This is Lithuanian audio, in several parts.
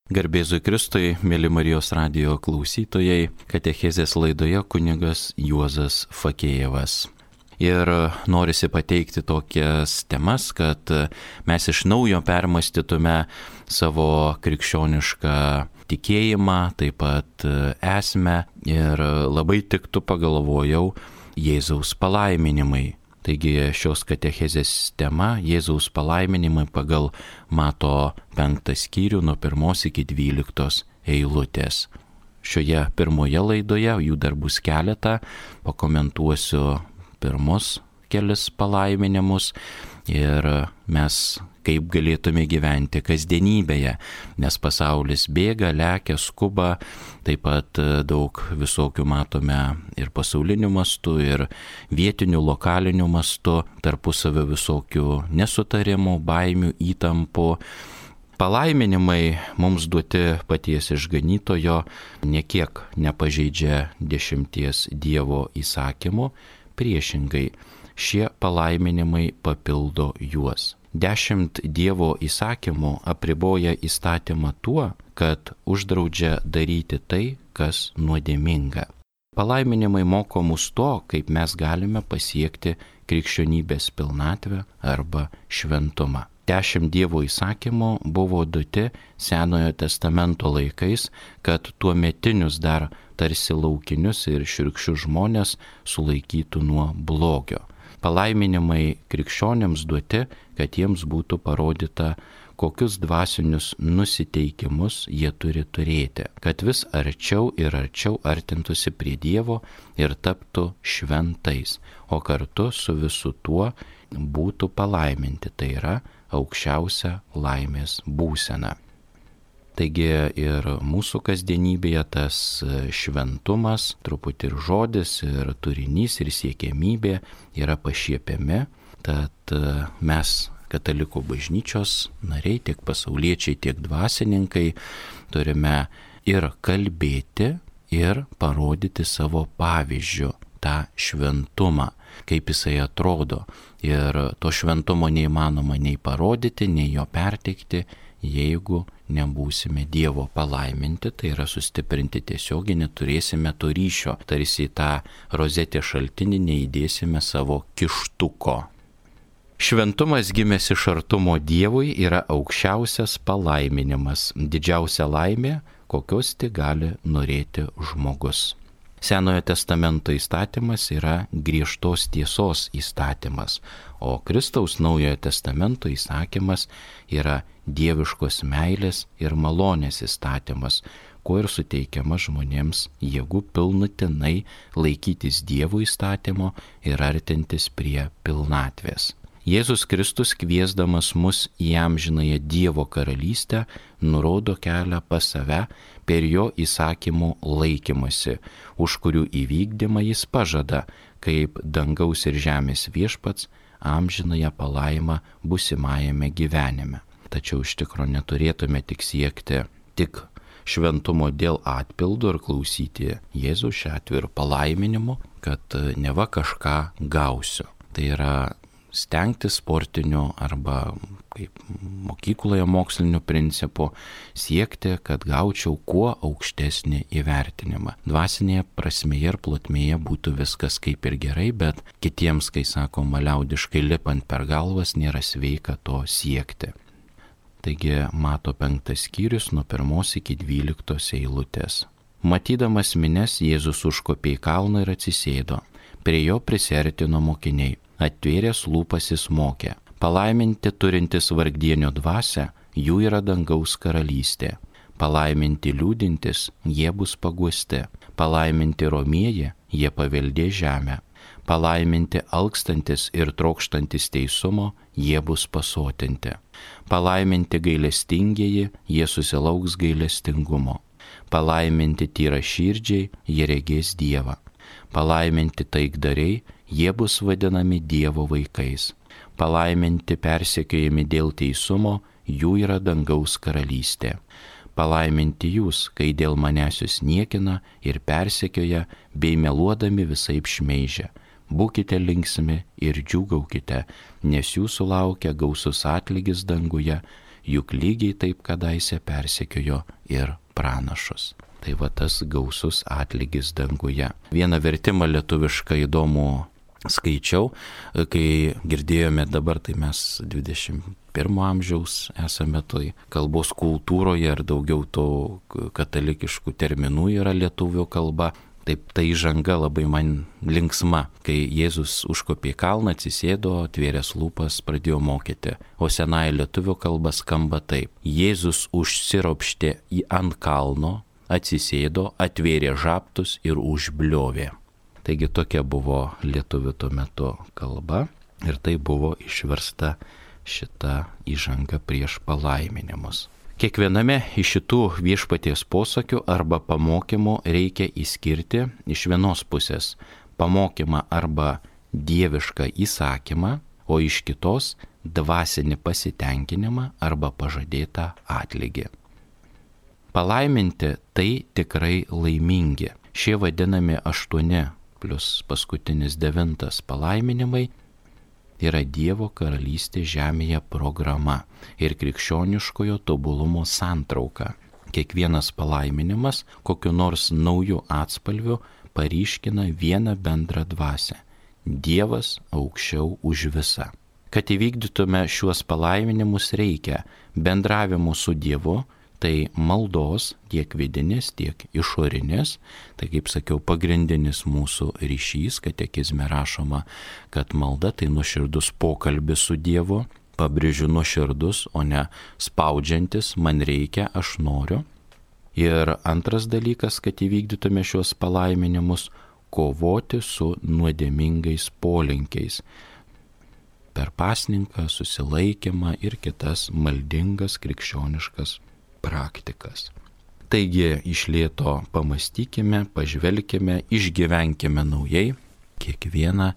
Garbėzui Kristui, mėly Marijos radijo klausytojai, katechezės laidoje kunigas Juozas Fakėjevas. Ir norisi pateikti tokias temas, kad mes iš naujo permąstytume savo krikščionišką tikėjimą, taip pat esmę, ir labai tiktų, pagalvojau, Jėzaus palaiminimai. Taigi šios katechezės tema – Jėzaus palaiminimai pagal Mato 5 skyrių nuo 1 iki 12 eilutės. Šioje pirmoje laidoje, jų dar bus keletą, pakomentuosiu pirmus kelis palaiminimus ir mes kaip galėtume gyventi kasdienybėje, nes pasaulis bėga, lekia, skuba, taip pat daug visokių matome ir pasaulinių mastų, ir vietinių, lokalinių mastų, tarpusavio visokių nesutarimų, baimių, įtampų. Palaiminimai mums duoti paties išganytojo niekiek nepažeidžia 10 Dievo įsakymų, priešingai šie palaiminimai papildo juos. 10 Dievo įsakymų apriboja įstatymą tuo, kad uždraudžia daryti tai, kas nuodėminga. Palaiminimai moko mus to, kaip mes galime pasiekti krikščionybės pilnatvę arba šventumą. 10 Dievo įsakymų buvo duoti Senojo testamento laikais, kad tuometinius dar tarsi laukinius ir šiurkščius žmonės sulaikytų nuo blogio. Palaiminimai krikščionėms duoti, kad jiems būtų parodyta, kokius dvasinius nusiteikimus jie turi turėti, kad vis arčiau ir arčiau artintųsi prie Dievo ir taptų šventais, o kartu su visu tuo būtų palaiminti, tai yra aukščiausia laimės būsena. Taigi ir mūsų kasdienybėje tas šventumas, truputį ir žodis, ir turinys, ir siekiamybė yra pašiepiami, tad mes, katalikų bažnyčios nariai, tiek pasauliečiai, tiek dvasininkai, turime ir kalbėti, ir parodyti savo pavyzdžiu tą šventumą, kaip jisai atrodo. Ir to šventumo neįmanoma nei parodyti, nei jo perteikti, jeigu nebūsime Dievo palaiminti, tai yra sustiprinti tiesiogiai, neturėsime to ryšio, tarsi į tą rozetę šaltinį neįdėsime savo kištuko. Šventumas gimęs iš artumo Dievui yra aukščiausias palaiminimas, didžiausia laimė, kokios tik gali norėti žmogus. Senojo testamento įstatymas yra griežtos tiesos įstatymas, o Kristaus Naujojo testamento įsakymas yra dieviškos meilės ir malonės įstatymas, kuo ir suteikiama žmonėms jėgų pilnutinai laikytis Dievo įstatymo ir artintis prie pilnatvės. Jėzus Kristus, kviesdamas mus į amžinąją Dievo karalystę, nurodo kelią pas save per jo įsakymų laikymasi, už kurių įvykdymą jis pažada, kaip dangaus ir žemės viešpats, amžinąją palaimą būsimajame gyvenime. Tačiau iš tikrųjų neturėtume tik siekti tik šventumo dėl atpildo ir klausyti Jėzų šiuo atveju ir palaiminimu, kad neva kažką gausiu. Tai yra stengtis sportiniu arba kaip mokykloje moksliniu principu siekti, kad gaučiau kuo aukštesnį įvertinimą. Dvasinėje prasmėje ir plotmėje būtų viskas kaip ir gerai, bet kitiems, kai sakoma liaudiškai, lipant per galvas, nėra sveika to siekti. Taigi Mato 5 skyrius nuo 1 iki 12 eilutės. Matydamas minias, Jėzus užkopė į kalną ir atsisėdo. Prie jo prisiartino mokiniai. Atvėręs lūpas jis mokė. Palaiminti turintis vargdienio dvasią, jų yra dangaus karalystė. Palaiminti liūdintis, jie bus paguosti. Palaiminti romieji, jie paveldės žemę. Palaiminti alkstantis ir trokštantis teisumo, jie bus pasotinti. Palaiminti gailestingieji, jie susilauks gailestingumo. Palaiminti tyraširdžiai, jie regės Dievą. Palaiminti taikdariai, jie bus vadinami Dievo vaikais. Palaiminti persekiojami dėl teisumo, jų yra dangaus karalystė. Palaiminti jūs, kai dėl manęs jūs niekina ir persekioja, bei meluodami visaip šmeižia. Būkite linksmi ir džiūgaukite, nes jūsų laukia gausus atlygis danguje, juk lygiai taip kadaise persekiojo ir pranašus. Tai va tas gausus atlygis danguje. Vieną vertimą lietuvišką įdomų skaičiau, kai girdėjome dabar, tai mes 21 amžiaus esame toj kalbos kultūroje ir daugiau to katalikiškų terminų yra lietuvių kalba. Taip, ta įžanga labai man linksma, kai Jėzus užkopė į kalną, atsisėdo, atvėręs lūpas, pradėjo mokyti. O senąją lietuvių kalbą skamba taip. Jėzus užsiropštė ant kalno, atsisėdo, atvėrė žabtus ir užbliovė. Taigi tokia buvo lietuvių tuo metu kalba ir tai buvo išversta šita įžanga prieš palaiminimus. Kiekviename iš šitų viešpaties posakių arba pamokymų reikia išskirti iš vienos pusės pamokymą arba dievišką įsakymą, o iš kitos dvasinį pasitenkinimą arba pažadėtą atlygį. Palaiminti tai tikrai laimingi. Šie vadinami 8 plus paskutinis 9 palaiminimai yra Dievo karalystė žemėje programa ir krikščioniškojo tobulumo santrauka. Kiekvienas palaiminimas kokiu nors nauju atspalviu paryškina vieną bendrą dvasią. Dievas aukščiau už visą. Kad įvykdytume šiuos palaiminimus reikia bendravimo su Dievu, tai maldos tiek vidinės, tiek išorinės. Tai, kaip sakiau, pagrindinis mūsų ryšys, katekizme rašoma, kad malda tai nuoširdus pokalbis su Dievu, pabrėžiu nuoširdus, o ne spaudžiantis, man reikia, aš noriu. Ir antras dalykas, kad įvykdytume šios palaiminimus, kovoti su nuodėmingais polinkiais. Per pasninką, susilaikymą ir kitas maldingas krikščioniškas praktikas. Taigi iš lėto pamastykime, pažvelkime, išgyvenkime naujai kiekvieną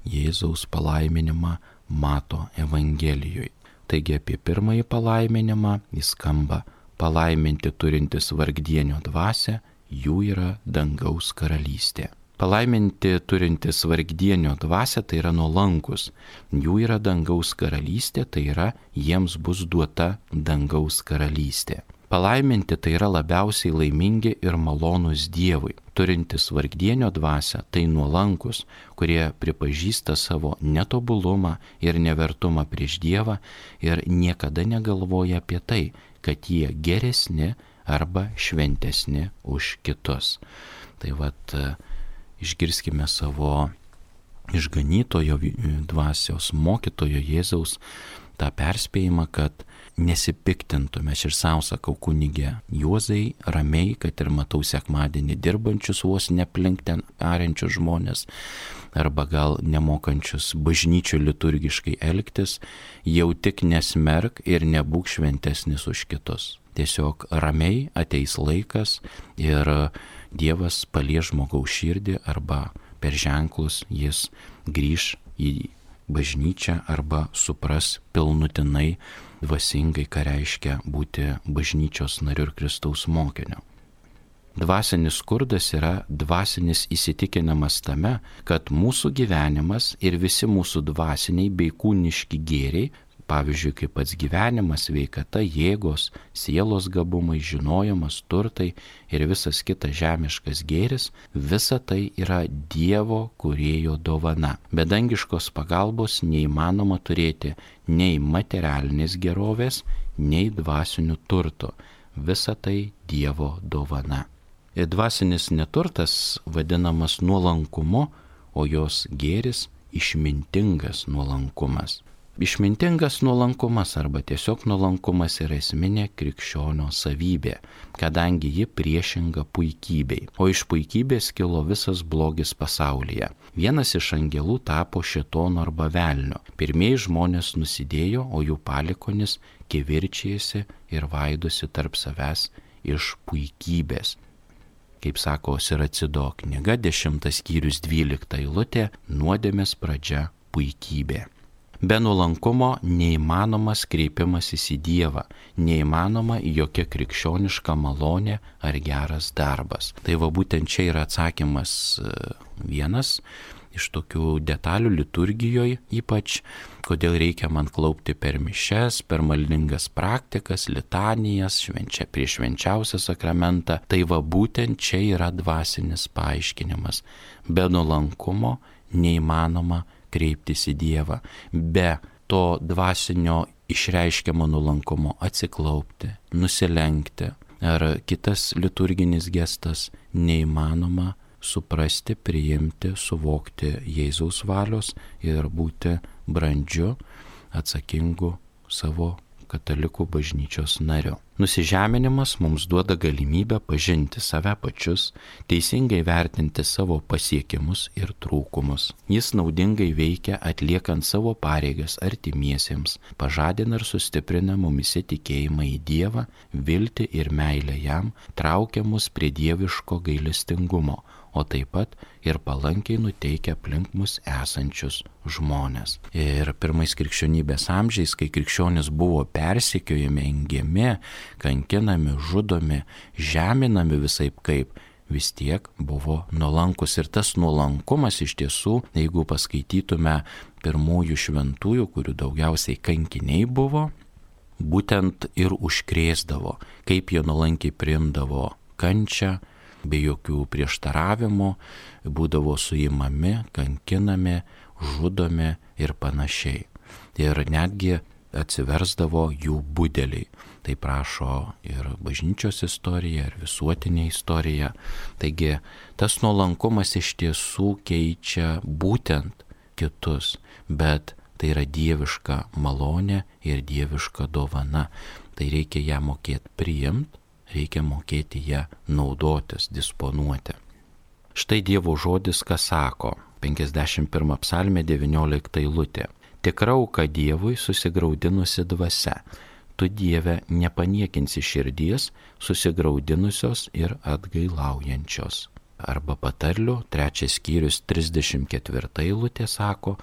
Jėzaus palaiminimą mato Evangelijoje. Taigi apie pirmąjį palaiminimą jis skamba: palaiminti turintys vargdienio dvasią, jų yra dangaus karalystė. Palaiminti turintys vargdienio dvasią, tai yra nuolankus, jų yra dangaus karalystė, tai yra jiems bus duota dangaus karalystė. Palaiminti tai yra labiausiai laimingi ir malonūs Dievui. Turintys vargdienio dvasią, tai nuolankus, kurie pripažįsta savo netobulumą ir nevertumą prieš Dievą ir niekada negalvoja apie tai, kad jie geresni arba šventesni už kitus. Tai vat išgirskime savo išganytojo dvasios mokytojo Jėzaus tą perspėjimą, kad nesipiktintume. Aš ir savo sakau, kunige Juozai, ramiai, kad ir matau sekmadienį dirbančius vos neplink ten ariančius žmonės, arba gal nemokančius bažnyčių liturgiškai elgtis, jau tik nesmerk ir nebūk šventesnis už kitus. Tiesiog ramiai ateis laikas ir Dievas palies žmogaus širdį arba per ženklus jis grįš į bažnyčią arba supras pilnutinai dvasingai, ką reiškia būti bažnyčios nariu ir Kristaus mokiniu. Dvasinis skurdas yra dvasinis įsitikinimas tame, kad mūsų gyvenimas ir visi mūsų dvasiniai bei kūniški gėriai, pavyzdžiui, kaip pats gyvenimas, sveikata, jėgos, sielos gabumai, žinojimas, turtai ir visas kitas žemiškas gėris, visa tai yra Dievo kūrėjo dovana. Be dangiškos pagalbos neįmanoma turėti nei materialinės gerovės, nei dvasinių turtų. Visa tai Dievo dovana. Ir dvasinis neturtas vadinamas nuolankumu, o jos gėris išmintingas nuolankumas. Išmintingas nuolankumas arba tiesiog nuolankumas yra esminė krikščionio savybė, kadangi ji priešinga puikybei, o iš puikybės kilo visas blogis pasaulyje. Vienas iš angelų tapo šėtonu arba velniu. Pirmieji žmonės nusidėjo, o jų palikonis kivirčijasi ir vaidosi tarp savęs iš puikybės. Kaip sako Siracido knyga, 10 skyrius 12 eilutė, nuodėmės pradžia puikybė. Be nuolankumo neįmanomas kreipimasis į Dievą, neįmanoma jokia krikščioniška malonė ar geras darbas. Tai va būtent čia yra atsakymas vienas iš tokių detalių liturgijoje ypač, kodėl reikia man klaupti per mišias, per maldingas praktikas, litanijas, prieš švenčiausią sakramentą. Tai va būtent čia yra dvasinis paaiškinimas. Be nuolankumo neįmanoma kreiptis į Dievą. Be to dvasinio išreiškiamo nuolankumo atsiklaupti, nusilenkti ar kitas liturginis gestas neįmanoma suprasti, priimti, suvokti Jėzaus valios ir būti brandžiu, atsakingu savo katalikų bažnyčios nariu. Nusižeminimas mums duoda galimybę pažinti save pačius, teisingai vertinti savo pasiekimus ir trūkumus. Jis naudingai veikia atliekant savo pareigas artimiesiems, pažadina ir sustiprina mumise tikėjimą į Dievą, viltį ir meilę jam, traukia mus prie dieviško gailestingumo, o taip pat ir palankiai nuteikia aplink mus esančius žmonės. Ir pirmais krikščionybės amžiais, kai krikščionys buvo persekiojami, engiami, kankinami, žudomi, žeminami visaip kaip, vis tiek buvo nuolankus. Ir tas nuolankumas iš tiesų, jeigu paskaitytume pirmųjų šventųjų, kurių daugiausiai kankiniai buvo, būtent ir užkrėsdavo, kaip jie nuolankiai priimdavo kančią, be jokių prieštaravimų, būdavo suimami, kankinami, žudomi ir panašiai. Ir netgi atsiversdavo jų budeliai. Tai prašo ir bažnyčios istorija, ir visuotinė istorija. Taigi tas nuolankumas iš tiesų keičia būtent kitus, bet tai yra dieviška malonė ir dieviška dovana. Tai reikia ją mokėti priimti, reikia mokėti ją naudotis, disponuoti. Štai Dievo žodis, ką sako, 51 psalmė 19 eilutė. Tikra auka Dievui susigraudinusi dvasia, tu Dieve nepaniekinsi širdies susigraudinusios ir atgailaujančios. Arba patarlių, 3 skyrius 34 eilutė sako,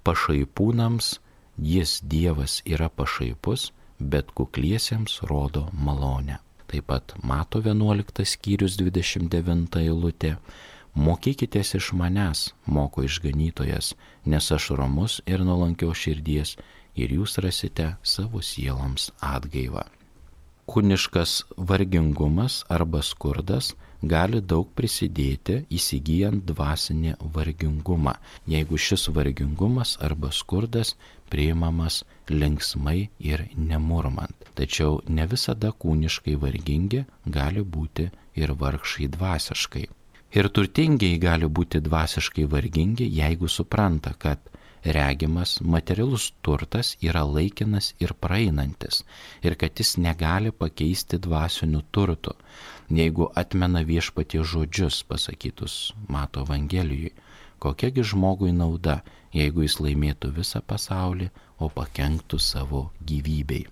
pašaipūnams jis Dievas yra pašaipus, bet kukliesiems rodo malonę. Taip pat Mato 11 skyrius 29 eilutė. Mokykitės iš manęs, moko išganytojas, nes aš ramus ir nuolankios širdies ir jūs rasite savo sieloms atgaivą. Kūniškas vargingumas arba skurdas gali daug prisidėti įsigyjant dvasinį vargingumą, jeigu šis vargingumas arba skurdas priimamas linksmai ir nemurmant. Tačiau ne visada kūniškai vargingi gali būti ir vargšai dvasiškai. Ir turtingiai gali būti dvasiškai vargingi, jeigu supranta, kad regimas materialus turtas yra laikinas ir praeinantis ir kad jis negali pakeisti dvasinių turtų. Jeigu atmena Viešpaties žodžius pasakytus Mato Evangelijoje, kokiagi žmogui nauda, jeigu jis laimėtų visą pasaulį, o pakenktų savo gyvybei.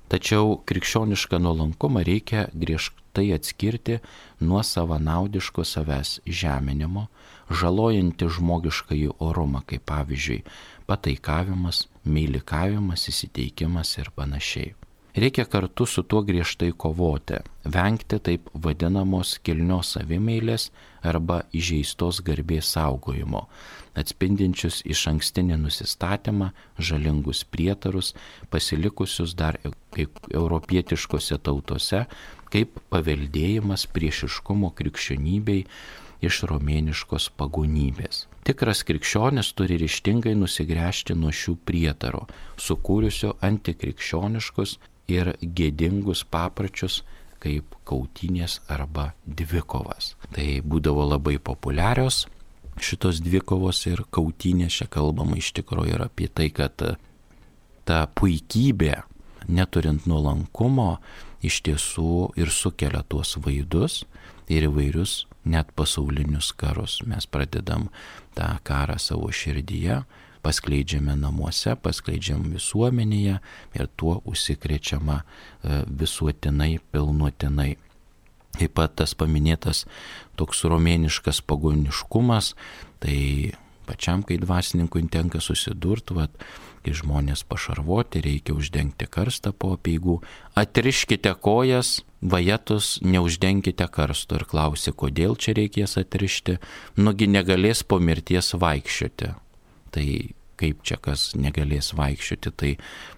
Tačiau krikščionišką nuolankumą reikia griežtai atskirti nuo savanaudiško savęs žeminimo, žalojantį žmogiškąjį orumą, kaip pavyzdžiui pataikavimas, meilikavimas, įsiteikimas ir panašiai. Reikia kartu su tuo griežtai kovoti, vengti taip vadinamos kilnios savimeilės arba įžeistos garbės saugojimo, atspindinčius išankstinį nusistatymą, žalingus prietarus, pasilikusius dar europietiškose tautose, kaip paveldėjimas priešiškumo krikščionybei iš romėniškos pagonybės. Tikras krikščionis turi ryžtingai nusigręžti nuo šių prietarų, sukūrusio antikrikščioniškus ir gėdingus papročius kaip kautynės arba dvikovas. Tai būdavo labai populiarios šitos dvikovos ir kautynės. Čia kalbama iš tikrųjų ir apie tai, kad ta puikybė, neturint nuolankumo, iš tiesų ir sukelia tuos vaidus ir įvairius net pasaulinius karus. Mes pradedam tą karą savo širdyje, paskleidžiame namuose, paskleidžiam visuomenėje ir tuo užsikrečiama visuotinai, pilnuotinai. Taip pat tas paminėtas toks romėniškas pagoniškumas, tai pačiam, kai dvasininkui tenka susidurti, kai žmonės pašarvoti, reikia uždengti karstą po apeigų. Atriškite kojas, vajetus, neuždenkite karsto. Ir klausia, kodėl čia reikės atrišti, nugi negalės po mirties vaikščioti. Tai kaip čia kas negalės vaikščioti, tai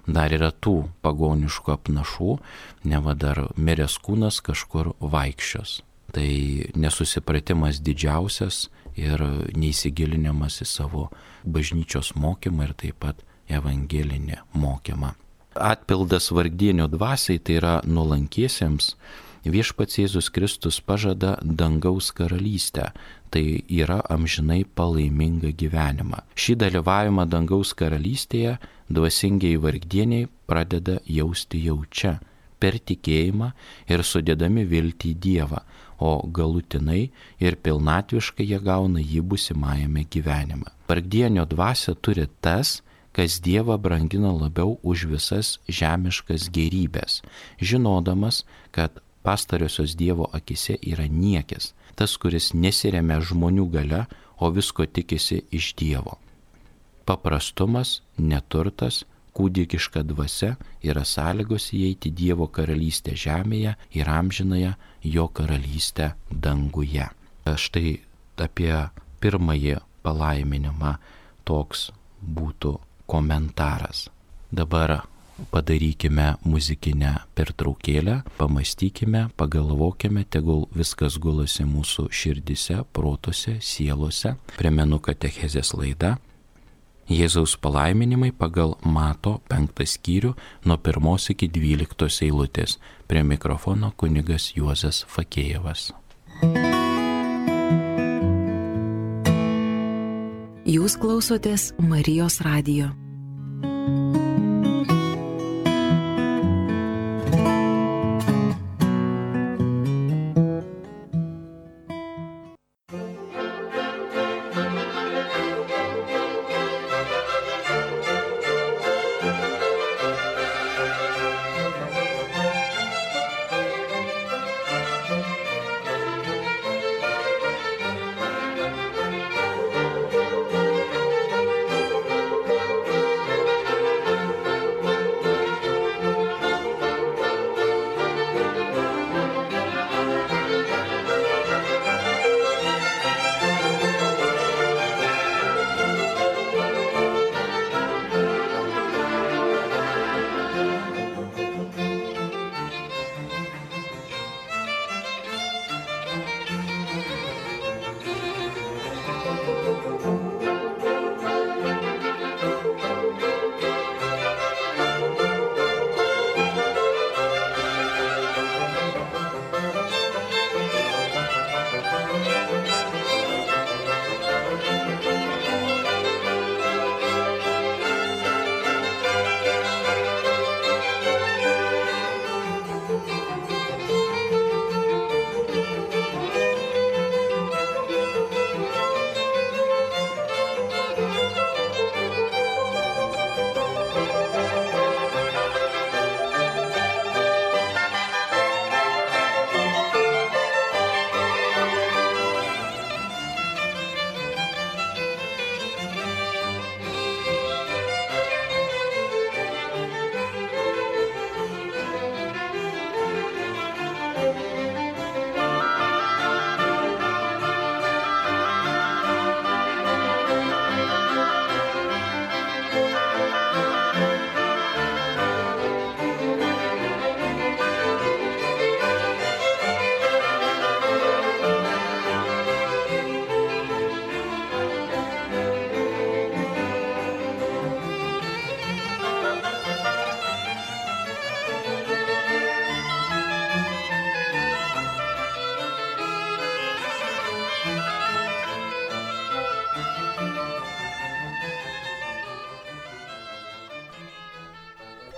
dar yra tų pagoniškų apnašų, neva dar miręs kūnas kažkur vaikščios. Tai nesusipratimas didžiausias ir neįsigilinimas į savo bažnyčios mokymą ir taip pat evangelinį mokymą. Atpildas vargdienio dvasiai, tai yra nuolankiesiems, viešpats Jėzus Kristus pažada dangaus karalystę, tai yra amžinai palaimingą gyvenimą. Šį dalyvavimą dangaus karalystėje dvasingiai vargdieniai pradeda jausti jau čia, per tikėjimą ir sudėdami viltį į Dievą, o galutinai ir pilnatviškai jie gauna jį būsimajame gyvenime. Vargdienio dvasia turi tas, kas Dievą brangina labiau už visas žemiškas gėrybės, žinodamas, kad pastariosios Dievo akise yra niekis, tas, kuris nesiremia žmonių galia, o visko tikisi iš Dievo. Paprastumas, neturtas, kūdikiška dvasia yra sąlygos įeiti Dievo karalystę žemėje ir amžinąją jo karalystę danguje. Štai apie pirmąjį palaiminimą toks būtų komentaras. Dabar padarykime muzikinę pertraukėlę, pamastykime, pagalvokime, tegul viskas gulasi mūsų širdise, protuose, sielose. Primenu katechezės laida Jėzaus palaiminimai pagal Mato 5 skyrių nuo 1 iki 12 eilutės. Prie mikrofono kunigas Juozas Fakėjevas. Jūs klausotės Marijos radijo.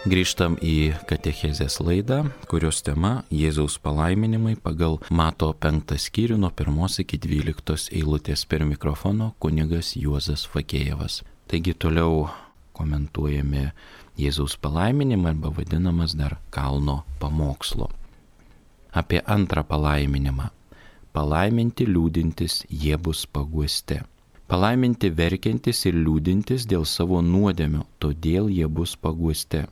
Grįžtam į katechezės laidą, kurios tema Jėzaus palaiminimai pagal Mato 5 skyrių nuo 1 iki 12 eilutės. Per mikrofono kunigas Juozas Fakėjevas. Taigi toliau komentuojami Jėzaus palaiminimą arba vadinamas dar kalno pamokslo. Apie antrą palaiminimą. Palaiminti liūdintys, jie bus paguosti. Palaiminti verkiantis ir liūdintis dėl savo nuodėmių, todėl jie bus paguosti.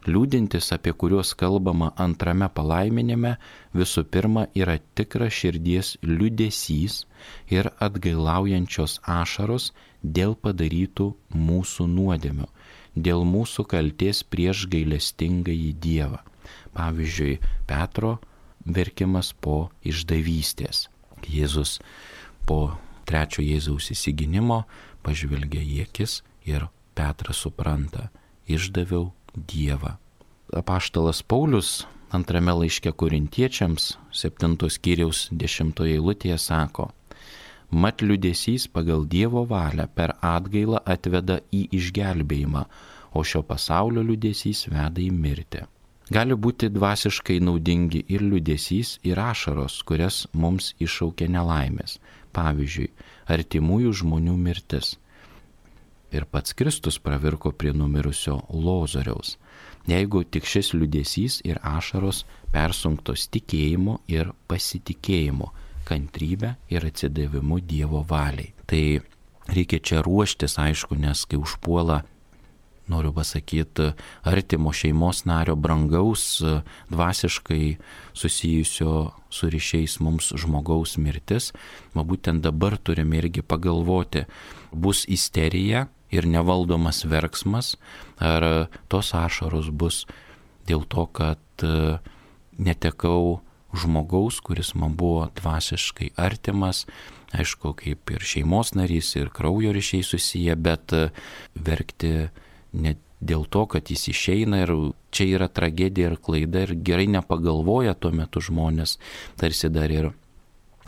Liūdintis, apie kuriuos kalbama antrame palaiminime, visų pirma yra tikras širdies liūdesys ir atgailaujančios ašaros dėl padarytų mūsų nuodėmių, dėl mūsų kaltės prieš gailestingąjį Dievą. Pavyzdžiui, Petro verkimas po išdavystės. Jėzus po trečio Jėzaus įsiginimo pažvelgia į akis ir Petras supranta, išdaviau Dievą. Apaštalas Paulius antrame laiške Korintiečiams 7 skyriaus 10 eilutėje sako: Mat liūdesys pagal Dievo valią per atgailą atveda į išgelbėjimą, o šio pasaulio liūdesys veda į mirtį. Gali būti dvasiškai naudingi ir liūdesys, ir ašaros, kurias mums iššaukia nelaimės. Pavyzdžiui, artimųjų žmonių mirtis. Ir pats Kristus pravirko prie numirusio Lozoriaus. Jeigu tik šis liūdesys ir ašaros persunktos tikėjimu ir pasitikėjimu, kantrybę ir atsidavimu Dievo valiai. Tai reikia čia ruoštis, aišku, nes kai užpuola, noriu pasakyti, artimo šeimos nario, brangaus, dvasiškai susijusio su ryšiais mums žmogaus mirtis, būtent dabar turime irgi pagalvoti, bus isterija ir nevaldomas verksmas, ar tos ašaros bus dėl to, kad netekau žmogaus, kuris man buvo dvasiškai artimas, aišku, kaip ir šeimos narys, ir kraujo ryšiai susiję, bet verkti ne dėl to, kad jis išeina ir čia yra tragedija ir klaida ir gerai nepagalvoja tuo metu žmonės, tarsi dar ir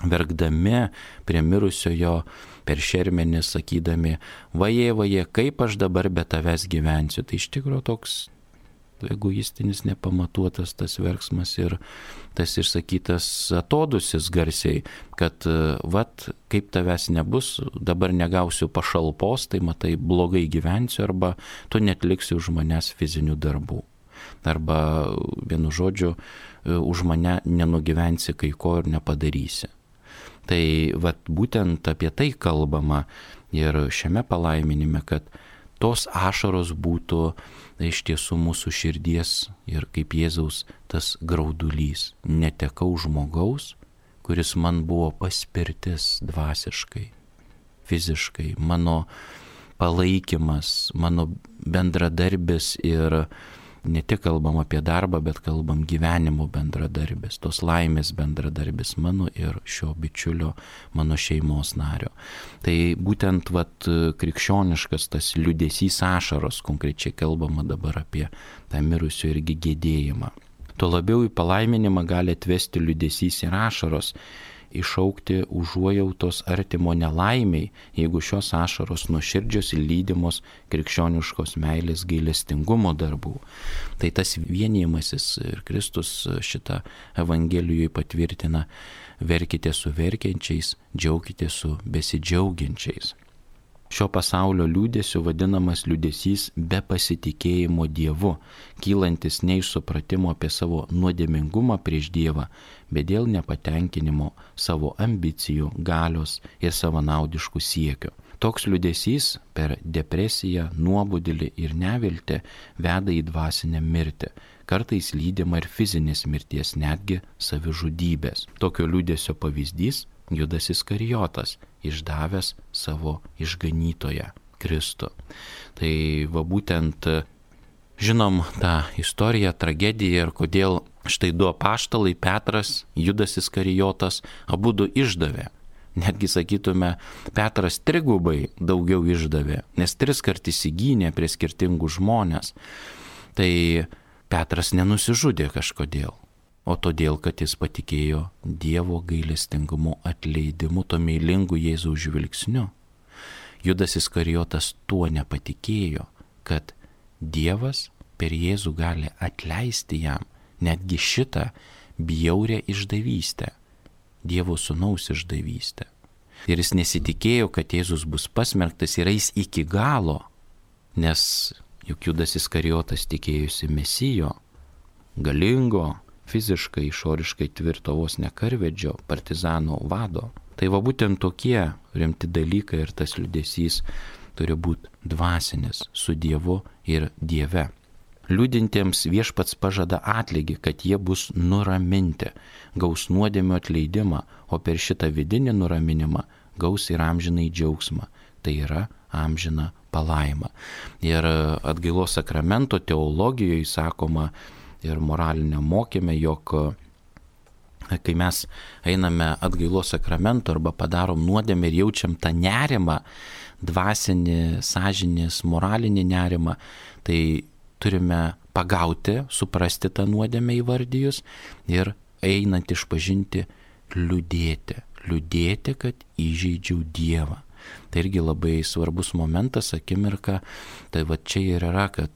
verkdami prie mirusiojo per šermenį sakydami, vaje, kaip aš dabar be tavęs gyvensiu. Tai iš tikrųjų toks egoistinis, nepamatuotas tas verksmas ir tas išsakytas atodusis garsiai, kad kaip tavęs nebus, dabar negausiu pašalpos, tai matai, blogai gyvensiu, arba tu netliksi už manęs fizinių darbų. Arba, vienu žodžiu, už mane nenugyvensi kai ko ir nepadarysi. Tai būtent apie tai kalbama ir šiame palaiminime, kad tos ašaros būtų iš tiesų mūsų širdies ir kaip Jėzaus tas graudulys. Netekau žmogaus, kuris man buvo paspirtis dvasiškai, fiziškai, mano palaikymas, mano bendradarbis ir ne tik kalbam apie darbą, bet kalbam gyvenimo bendradarbis, tos laimės bendradarbis mano ir šio bičiulio, mano šeimos nario. Tai būtent krikščioniškas tas liūdesys ašaros, konkrečiai kalbama dabar apie tą mirusio irgi gedėjimą. Tuo labiau į palaiminimą gali atvesti liūdesys ir ašaros, iššaukti užuojautos artimo nelaimiai, jeigu šios ašaros nuoširdžios ir lydimos krikščioniškos meilės gailestingumo darbų. Tai tas vienijimasis ir Kristus šitą Evangelijoje patvirtina: verkite su verkiančiais, džiaukite su besidžiaugiančiais. Šio pasaulio liūdesiu vadinamas liūdesys be pasitikėjimo Dievu, kylantis ne iš supratimo apie savo nuodėmingumą prieš Dievą, bet dėl nepatenkinimo savo ambicijų, galios ir savanaudiškų siekių. Toks liūdesys per depresiją, nuobodulį ir neviltį veda į dvasinę mirtį, kartais lydima ir fizinės mirties, netgi savižudybės. Tokio liūdesio pavyzdys Judas Iskarijotas, išdavęs savo išganytoją Kristų. Tai būtent žinom tą istoriją, tragediją ir kodėl štai du apaštalai, Petras, Judas Iskarijotas, abudu išdavė. Netgi sakytume, Petras trigubai daugiau išdavė, nes 3 kart įsigynė prie skirtingų žmonės. Tai Petras nenusižudė kažkodėl, o todėl, kad jis patikėjo Dievo gailestingumu, atleidimu, to meilingu Jėzaus žvilgsniu. Judas Iskarijotas tuo nepatikėjo, kad Dievas per Jėzų gali atleisti jam netgi šitą bjaurią išdavystę, Dievo sūnaus išdavystę. Ir jis nesitikėjo, kad Jėzus bus pasmerktas ir eis iki galo, nes juk Judas Iskarijotas tikėjosi Mesijo, galingo, fiziškai, išoriškai tvirto vos ne karvedžio, partizanų vado. Tai va būtent tokie rimti dalykai ir tas liūdesys turi būti dvasinis su Dievu ir Dieve. Liūdintiems viešpats pažada atlygį, kad jie bus nuraminti, gaus nuodėmių atleidimą, o per šitą vidinį nuraminimą gaus ir amžinai džiaugsmą, tai yra amžiną palaimą. Ir atgailos sakramento teologijoje sakoma ir moralinė mokyme, jog kai mes einame atgailos sakramento arba padarom nuodėmę ir jaučiam tą nerimą, dvasinį, sąžinės, moralinį nerimą, tai turime pagauti, suprasti tą nuodėmę įvardijus ir einant išpažinti liūdėti, kad įžeidžiau Dievą. Tai irgi labai svarbus momentas, akimirka, tai va čia ir yra, kad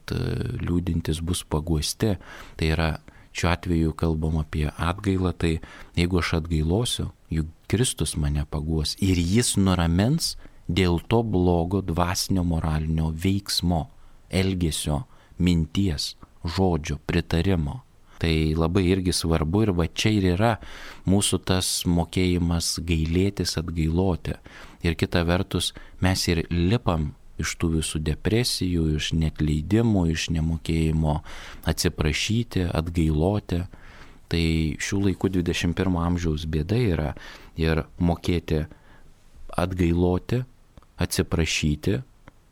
liūdintis bus paguosti, tai yra šiuo atveju kalbam apie atgailą, tai jeigu aš atgailosiu, juk Kristus mane paguos ir jis nuramins dėl to blogo dvasinio moralinio veiksmo, elgesio, minties, žodžio, pritarimo. Tai labai irgi svarbu ir va čia ir yra mūsų tas mokėjimas gailėtis, atgailoti. Ir kita vertus mes ir lipam iš tų visų depresijų, iš neatleidimų, iš nemokėjimo atsiprašyti, atgailoti. Tai šių laikų 21 amžiaus bėda yra ir mokėti atgailoti, atsiprašyti,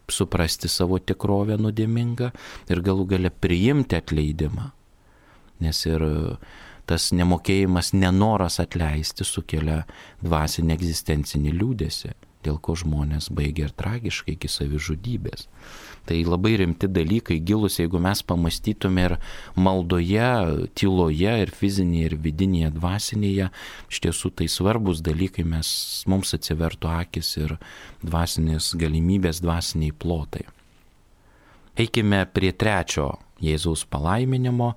suprasti savo tikrovę nuodėmingą ir galų gale priimti atleidimą. Nes ir tas nemokėjimas, nenoras atleisti sukelia dvasinį egzistencinį liūdesį, dėl ko žmonės baigia ir tragiškai iki savižudybės. Tai labai rimti dalykai, gilus, jeigu mes pamastytume ir maldoje, tyloje, ir fizinėje, ir vidinėje, dvasinėje, iš tiesų tai svarbus dalykai, mums atsivertų akis ir dvasinės galimybės, dvasiniai plotai. Eikime prie 3 Jėzaus palaiminimo.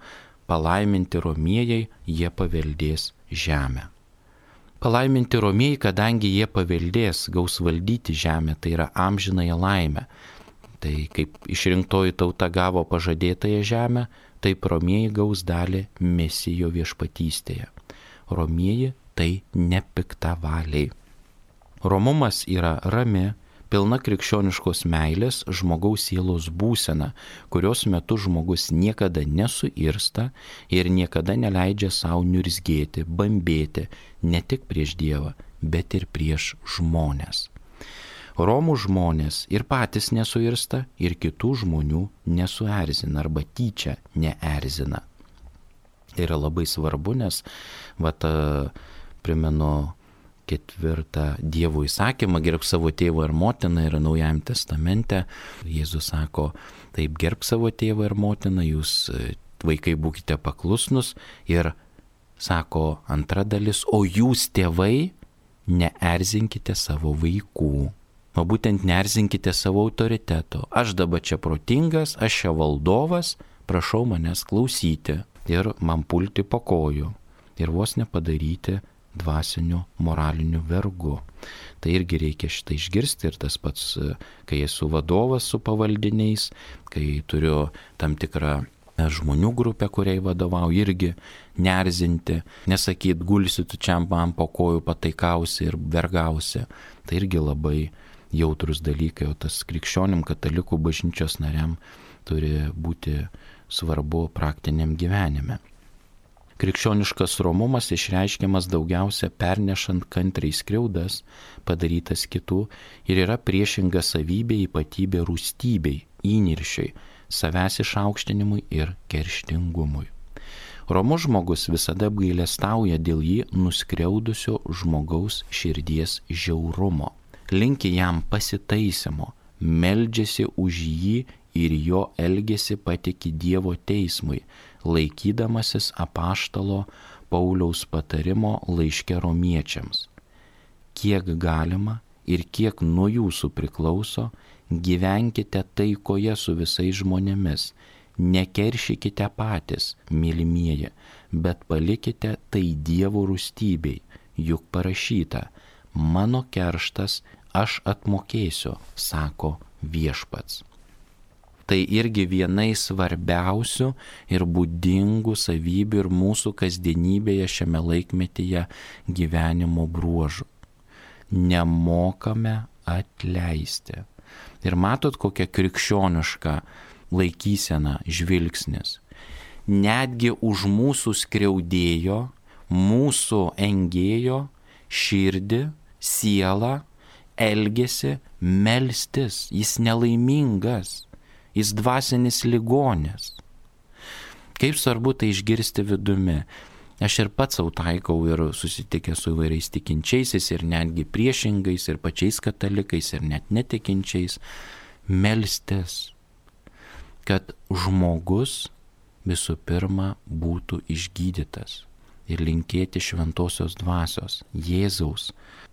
Palaiminti romieji, jie paveldės žemę. Palaiminti romieji, kadangi jie paveldės, gaus valdyti žemę, tai yra amžinąją laimę. Tai kaip išrinktoji tauta gavo pažadėtąją žemę, taip romieji gaus dalį Mesijo viešpatystėje. Romieji tai nepiktavaliai. Romumas yra rami, pilna krikščioniškos meilės žmogaus sielos būsena, kurios metu žmogus niekada nesuirsta ir niekada neleidžia savo niurzgėti, bambėti ne tik prieš Dievą, bet ir prieš žmonės. Romų žmonės ir patys nesuirsta ir kitų žmonių nesuerzina arba tyčia neerzina. Tai yra labai svarbu, nes primenu 4 Dievo įsakymą, gerbk savo tėvą ir motiną, yra Naujajame testamente. Jėzus sako, taip, gerbk savo tėvą ir motiną, jūs vaikai būkite paklusnus, ir sako antra dalis, o jūs tėvai neerzinkite savo vaikų. O būtent neerzinkite savo autoriteto. Aš dabar čia protingas, aš čia valdovas, prašau manęs klausyti ir man pulti po kojų ir vos nepadaryti dvasiniu, moraliniu vergu. Tai irgi reikia šitą išgirsti ir tas pats, kai esu vadovas su pavaldiniais, kai turiu tam tikrą žmonių grupę, kuriai vadovauju, irgi neerzinti, nesakyt, gulsi tu čia man po kojų, pataikausi ir vergausi. Tai irgi labai jautrus dalykai, o tas krikščionim, katalikų bažnyčios nariam turi būti svarbu praktiniam gyvenime. Krikščioniškas romumas išreiškiamas daugiausia pernešant kantriai skriaudas, padarytas kitų, ir yra priešinga savybė, ypatybė rūstybei, įniršiai, savęs išaukštinimui ir kerštingumui. Romus žmogus visada apgailestauja dėl jį nuskriaudusio žmogaus širdies žiaurumo, linki jam pasitaisimo, meldžiasi už jį ir jo elgesį patiki Dievo teismui, laikydamasis apaštalo Pauliaus patarimo laiške romiečiams. Kiek galima ir kiek nuo jūsų priklauso, gyvenkite taikoje su visais žmonėmis, nekeršykite patys, mylimieji, bet palikite tai Dievo rūstybei, juk parašyta, mano kerštas aš atmokėsiu, sako viešpats. Tai irgi vienai svarbiausių ir būdingų savybių ir mūsų kasdienybėje šiame laikmetyje gyvenimo bruožų. nemokame atleisti. Ir matot, kokia krikščioniška laikysena, žvilgsnis. Netgi už mūsų skriaudėjo, mūsų engėjo širdį, sielą, elgesi melstis. Jis nelaimingas, jis dvasinis ligonis. Kaip svarbu tai išgirsti vidumi. Aš ir pats savo taikau ir susitikęs su įvairiais tikinčiaisiais ir netgi priešingais ir pačiais katalikais ir net netikinčiais. Melstis, kad žmogus visų pirma būtų išgydytas ir linkėti šventosios dvasios, Jėzaus,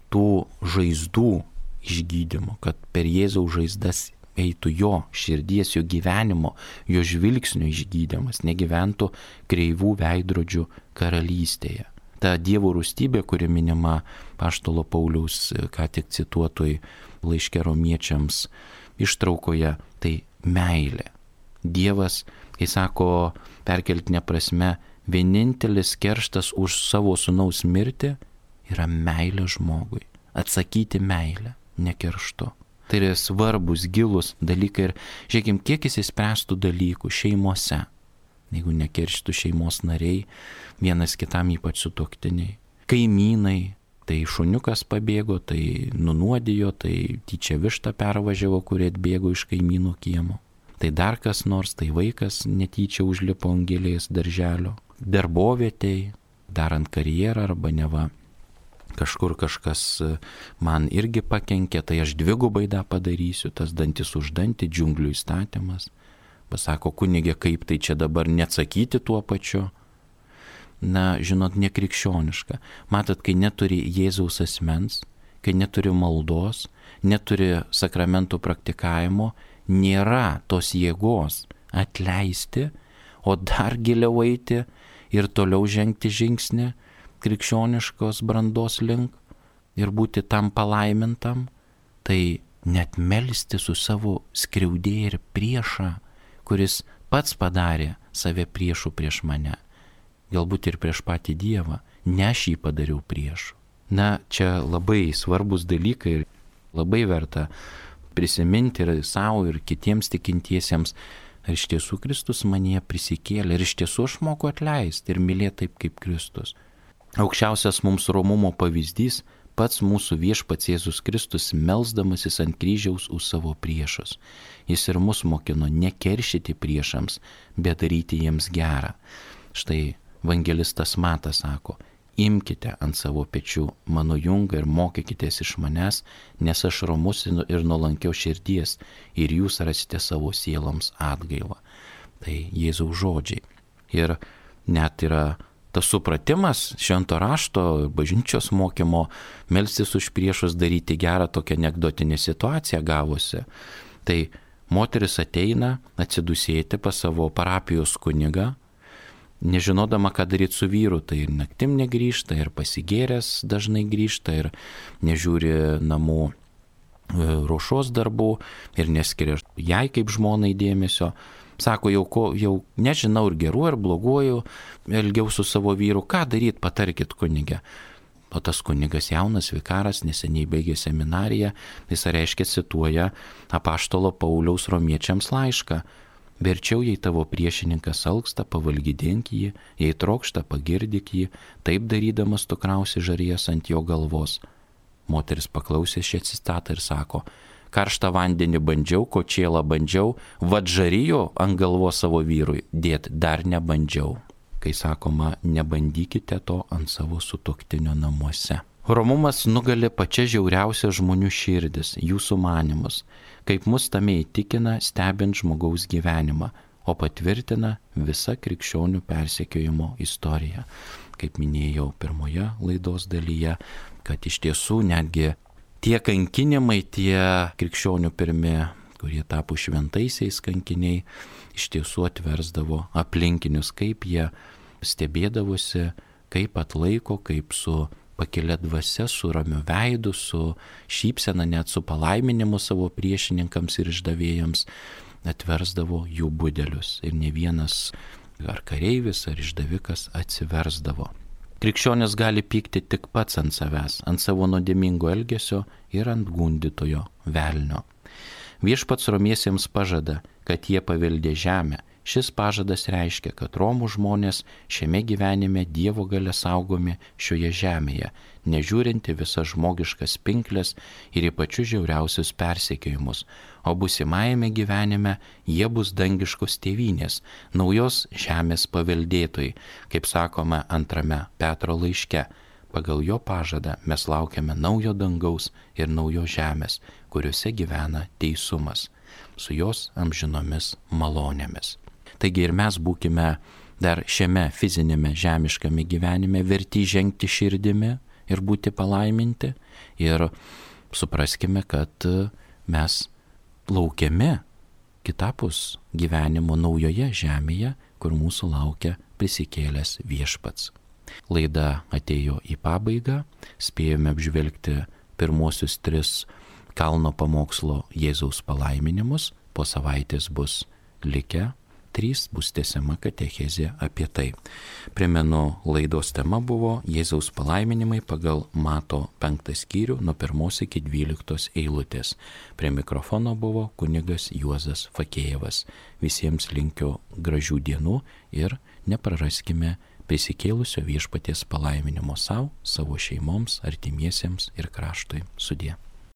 tų žaizdų išgydymo, kad per Jėzaus žaizdas eitų jo širdies, jo gyvenimo, jo žvilgsnio išgydymas, negyventų kreivų veidrodžių karalystėje. Ta Dievo rūstybė, kuri minima apaštalo Pauliaus ką tik cituotoj laiške Romiečiams ištraukoje, tai meilė. Dievas, kai sako perkeltine prasme, vienintelis kerštas už savo sūnaus mirtį yra meilė žmogui. Atsakyti meilę, ne kerštu. Tai yra svarbus, gilus dalykai ir žiūrėkim, kiek jis įspręstų dalykų šeimose. Jeigu nekerštų šeimos nariai, vienas kitam ypač sutuoktiniai. Kaimynai, tai šuniukas pabėgo, tai nunuodijo, tai tyčia vištą pervažiavo, kurie atbėgo iš kaimynų kiemo. Tai dar kas nors, tai vaikas netyčia užlipo ant gėlės darželio. Darbovietėj, darant karjerą arba neva kažkur kažkas man irgi pakenkė, tai aš dvigubai tą padarysiu, tas dantis už dantį, džiunglių įstatymas. Pasako kunigė, kaip tai čia dabar neatsakyti tuo pačiu. Na, žinot, nekrikščioniška. Matot, kai neturi Jėzaus asmens, kai neturi maldos, neturi sakramentų praktikavimo, nėra tos jėgos atleisti, o dar giliau eiti ir toliau žengti žingsnį krikščioniškos brandos link ir būti tam palaimintam, tai net melsti su savo skriaudėją ir priešą, kuris pats padarė save priešų prieš mane, galbūt ir prieš patį Dievą, ne aš jį padariau priešu. Na, čia labai svarbus dalykai ir labai verta prisiminti ir savo ir kitiems tikintiesiems, ar iš tiesų Kristus manyje prisikėlė, ir iš tiesų aš moku atleisti ir mylėti taip kaip Kristus. Aukščiausias mums romumo pavyzdys pats mūsų viešpats Jėzus Kristus melsdamasis ant kryžiaus už savo priešus. Jis ir mus mokino nekeršyti priešams, bet daryti jiems gerą. Štai evangelistas Matas sako, imkite ant savo pečių mano jungą ir mokykitės iš manęs, nes aš romus ir nuolankios širdies ir jūs rasite savo sieloms atgailą. Tai Jėzaus žodžiai. Ir net yra tas supratimas švento rašto, bažnyčios mokymo, melstis už priešus, daryti gerą, tokią anekdotinę situaciją gavosi. Tai moteris ateina atsidusėti pas savo parapijos kunigą, nežinodama, ką daryti su vyru, tai ir naktim negrįžta, ir pasigėręs dažnai grįžta, ir nežiūri namų ruošos darbų, ir neskiria jai kaip žmonai dėmesio. Sako, jau nežinau ir geru, ir bloguoju, elgiau su savo vyru, ką daryti, patarkit kunigę. O tas kunigas jaunas vikaras, neseniai baigė seminariją, jis reiškia cituoja apaštalo Pauliaus Romiečiams laišką. Verčiau, jei tavo priešininkas alksta, pavalgydink jį, jei trokšta, pagirdyk jį, taip darydamas tu krausi žarijas ant jo galvos. Moteris paklausė šią citatą ir sako, karštą vandenį bandžiau, kočėlą bandžiau, vadžarijo ant galvos savo vyrui, dėt dar nebandžiau. Kai sakoma, nebandykite to ant savo sutuoktinio namuose. Romumas nugali pačia žiauriausia žmonių širdis, jų sumanimus, kaip mus tame įtikina stebint žmogaus gyvenimą, o patvirtina visa krikščionių persekiojimo istorija. Kaip minėjau pirmoje laidos dalyje, kad iš tiesų netgi tie kankinimai, tie krikščionių pirmi, kurie tapo šventaisiais kankiniai, iš tiesų atversdavo aplinkinius, kaip jie stebėdavosi, kaip atlaiko, kaip su pakilia dvasia, su ramiu veidu, su šypsena, net su palaiminimu savo priešininkams ir išdavėjams atversdavo jų budelius. Ir ne vienas ar kareivis, ar išdavikas atsiversdavo. Krikščionis gali pykti tik pats ant savęs, ant savo nuodėmingo elgesio ir ant gundytojo velnio. Viešpats romiesiems pažada, kad jie paveldė žemę. Šis pažadas reiškia, kad Romų žmonės šiame gyvenime Dievo galia saugomi šioje žemėje, nežiūrinti visas žmogiškas pinklės ir į pačius žiauriausius persekiojimus, o būsimajame gyvenime jie bus dangiškos tėvynės, naujos žemės paveldėtojai, kaip sakoma 2 Petro laiške. Pagal jo pažadą mes laukiame naujo dangaus ir naujos žemės, kuriuose gyvena teisumas, su jos amžinomis malonėmis. Taigi ir mes būkime dar šiame fizinėme žemiškame gyvenime verti žengti širdimi ir būti palaiminti ir supraskime, kad mes laukiami kitapus gyvenimo naujoje žemėje, kur mūsų laukia prisikėlęs viešpats. Laida atėjo į pabaigą, spėjome apžvelgti pirmosius 3 kalno pamokslo Jėzaus palaiminimus, po savaitės bus likę 3, bus tęsiama katechezė apie tai. Primenu, laidos tema buvo Jėzaus palaiminimai pagal Mato 5 skyrių nuo 1 iki 12 eilutės. Prie mikrofono buvo kunigas Juozas Fakėjevas. Visiems linkiu gražių dienų ir nepraraskime prisikėlusio viešpaties palaiminimo savo šeimoms, artimiesiems ir kraštui. Sudie.